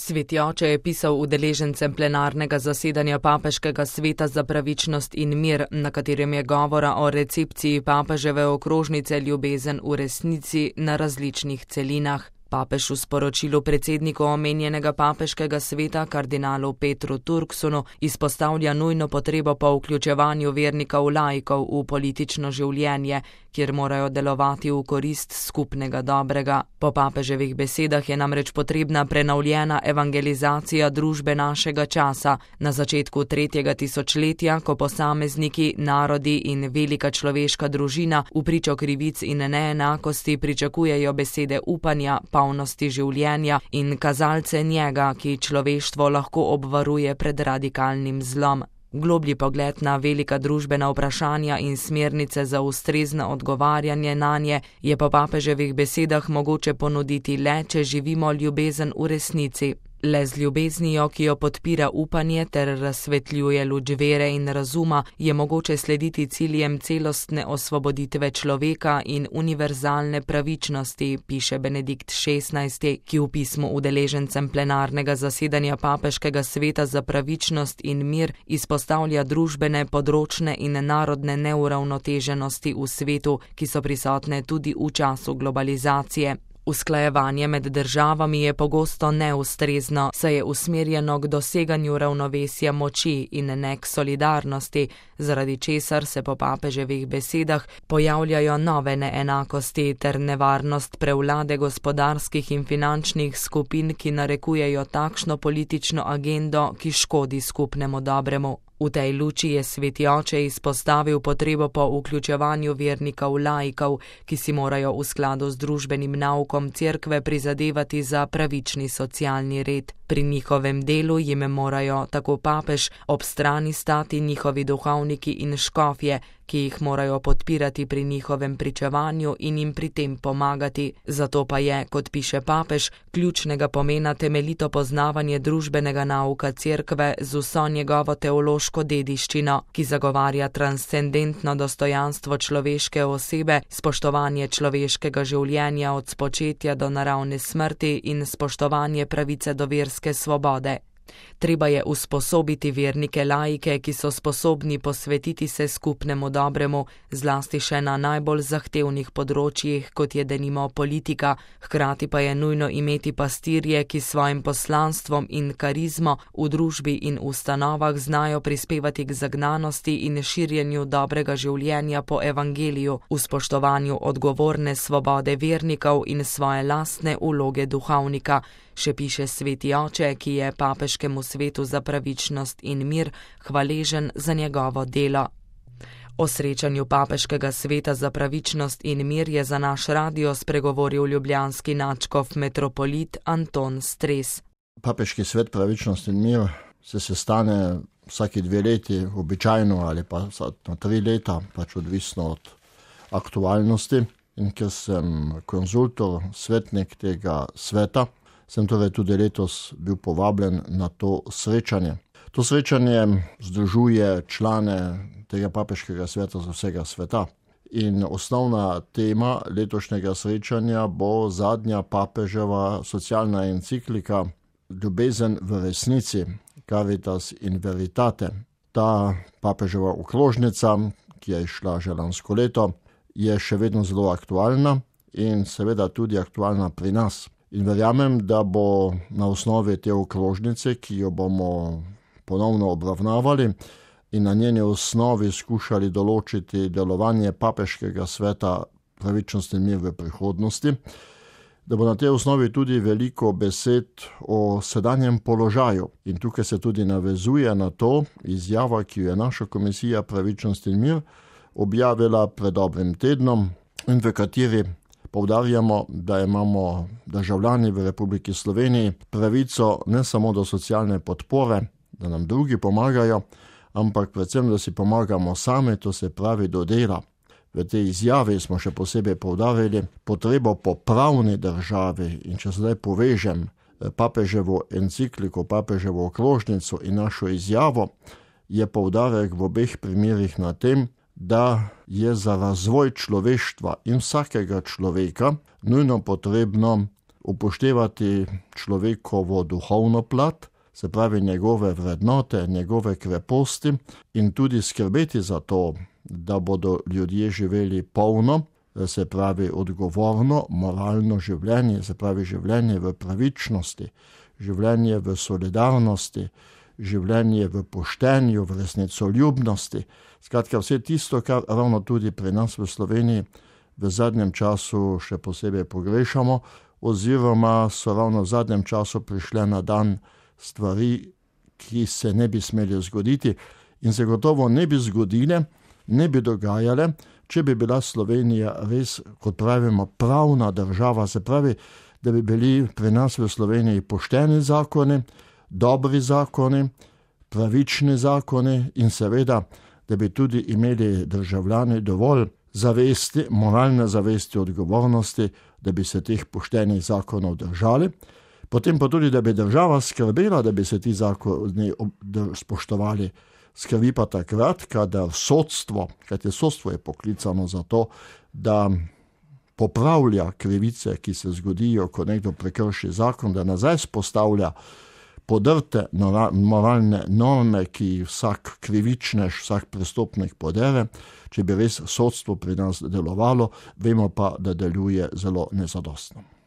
Sveti oče je pisal udeležencem plenarnega zasedanja Papeškega sveta za pravičnost in mir, na katerem je govora o recepciji papeževe okrožnice Ljubezen v resnici na različnih celinah. Papež v sporočilu predsedniku omenjenega papeškega sveta kardinalu Petru Turksonu izpostavlja nujno potrebo po vključevanju vernikov laikov v politično življenje, kjer morajo delovati v korist skupnega dobrega. Po papeževih besedah je namreč potrebna prenovljena evangelizacija družbe našega časa. Na začetku 3. tisočletja, ko posamezniki, narodi in velika človeška družina v pričo krivic in neenakosti pričakujejo besede upanja, polnosti življenja in kazalce njega, ki človeštvo lahko obvaruje pred radikalnim zlom. Globlji pogled na velika družbena vprašanja in smernice za ustrezno odgovarjanje nanje je po papeževih besedah mogoče ponuditi le, če živimo ljubezen v resnici. Le z ljubeznijo, ki jo podpira upanje ter razsvetljuje luč vere in razuma, je mogoče slediti ciljem celostne osvoboditve človeka in univerzalne pravičnosti, piše Benedikt XVI, ki v pismu udeležencem plenarnega zasedanja Papeškega sveta za pravičnost in mir izpostavlja družbene, področne in narodne neuravnoteženosti v svetu, ki so prisotne tudi v času globalizacije. Usklajevanje med državami je pogosto neustrezno, saj je usmerjeno k doseganju ravnovesja moči in ne k solidarnosti, zaradi česar se po papeževih besedah pojavljajo nove neenakosti ter nevarnost prevlade gospodarskih in finančnih skupin, ki narekujejo takšno politično agendo, ki škodi skupnemu dobremu. V tej luči je sveti oče izpostavil potrebo po vključevanju vernikov laikov, ki si morajo v skladu z družbenim naukom cerkve prizadevati za pravični socialni red. Pri njihovem delu jim morajo, tako papež, ob strani stati njihovi duhovniki in škofje, ki jih morajo podpirati pri njihovem pričevanju in jim pri tem pomagati. Zato pa je, kot piše papež, ključnega pomena temeljito poznavanje družbenega nauka cerkve z vso njegovo teološko dediščino, ki zagovarja transcendentno dostojanstvo človeške osebe, spoštovanje človeškega življenja od spočetja do naravne smrti in spoštovanje pravice do verske svobode. Treba je usposobiti vernike laike, ki so sposobni posvetiti se skupnemu dobremu, zlasti še na najbolj zahtevnih področjih, kot je denimo politika, hkrati pa je nujno imeti pastirje, ki svojim poslanstvom in karizmo v družbi in ustanovah znajo prispevati k zagnanosti in širjenju dobrega življenja po evangeliju, v spoštovanju odgovorne svobode vernikov in svoje lastne vloge duhovnika, še piše sveti oče, ki je papeškemu svetu za pravičnost in mir hvaležen za njegovo delo. O srečanju Papeškega sveta za pravičnost in mir je za naš radio spregovoril ljubljanski nadškof metropolit Anton Stres. Papeški svet pravičnost in mir se sestane vsaki 2 leti običajno ali pa na 3 leta, pač odvisno od aktualnosti. In ker sem konzultor, svetnik tega sveta, sem torej tudi letos bil povabljen na to srečanje. To srečanje združuje člane tega papeškega sveta z vsega sveta. In osnovna tema letošnjega srečanja bo zadnja papeževa socialna enciklika Ljubezen v resnici, Caritas in Veritate. Ta papeževa okrožnica, ki je šla že lansko leto, je še vedno zelo aktualna in seveda tudi aktualna pri nas. In verjamem, da bo na osnovi te okrožnice, ki jo bomo ponovno obravnavali in na njeni osnovi skušali določiti delovanje papeškega sveta pravičnost in mir v prihodnosti, da bo na tej osnovi tudi veliko besed o sedanjem položaju. In tukaj se tudi navezuje na to izjava, ki jo je naša komisija pravičnost in mir objavila pred dobrim tednom in v kateri poudarjamo, da imamo državljani v Republiki Sloveniji pravico ne samo do socialne podpore, da nam drugi pomagajo, ampak predvsem, da si pomagamo sami, to se pravi do dela. V tej izjavi smo še posebej poudarili potrebo po pravni državi in če zdaj povežem papeževo encikliko, papeževo okrožnico in našo izjavo, je poudarek v obeh primerih na tem, da je za razvoj človeštva in vsakega človeka nujno potrebno upoštevati človekovo duhovno plat, se pravi njegove vrednote, njegove kreposti in tudi skrbeti za to, da bodo ljudje živeli polno, se pravi odgovorno, moralno življenje, se pravi življenje v pravičnosti, življenje v solidarnosti, življenje v poštenju, v resnicoljubnosti. Skratka, vse tisto, kar ravno tudi pri nas v Sloveniji v zadnjem času še posebej pogrešamo, oziroma so ravno v zadnjem času prišle na dan stvari, ki se ne bi smeli zgoditi in se gotovo ne bi zgodile, ne bi dogajale, če bi bila Slovenija res, kot pravimo, pravna država, se pravi, da bi bili pri nas v Sloveniji pošteni zakoni, dobri zakoni, pravični zakoni in seveda, da bi tudi imeli državljani dovolj zavesti, moralne zavesti, odgovornosti, da bi se teh poštenih zakonov držali. Potem pa tudi, da bi država skrbela, da bi se ti zakoni spoštovali. Skrbi pa takrat, kadar sodstvo, kajti sodstvo je poklicano za to, da popravlja krivice, ki se zgodijo, ko nekdo prekrši zakon, da nazaj spostavlja podrte moralne norme, ki vsak krivičnež, vsak prestopnik podere. Če bi res sodstvo pri nas delovalo, vemo pa, da deluje zelo nezadostno.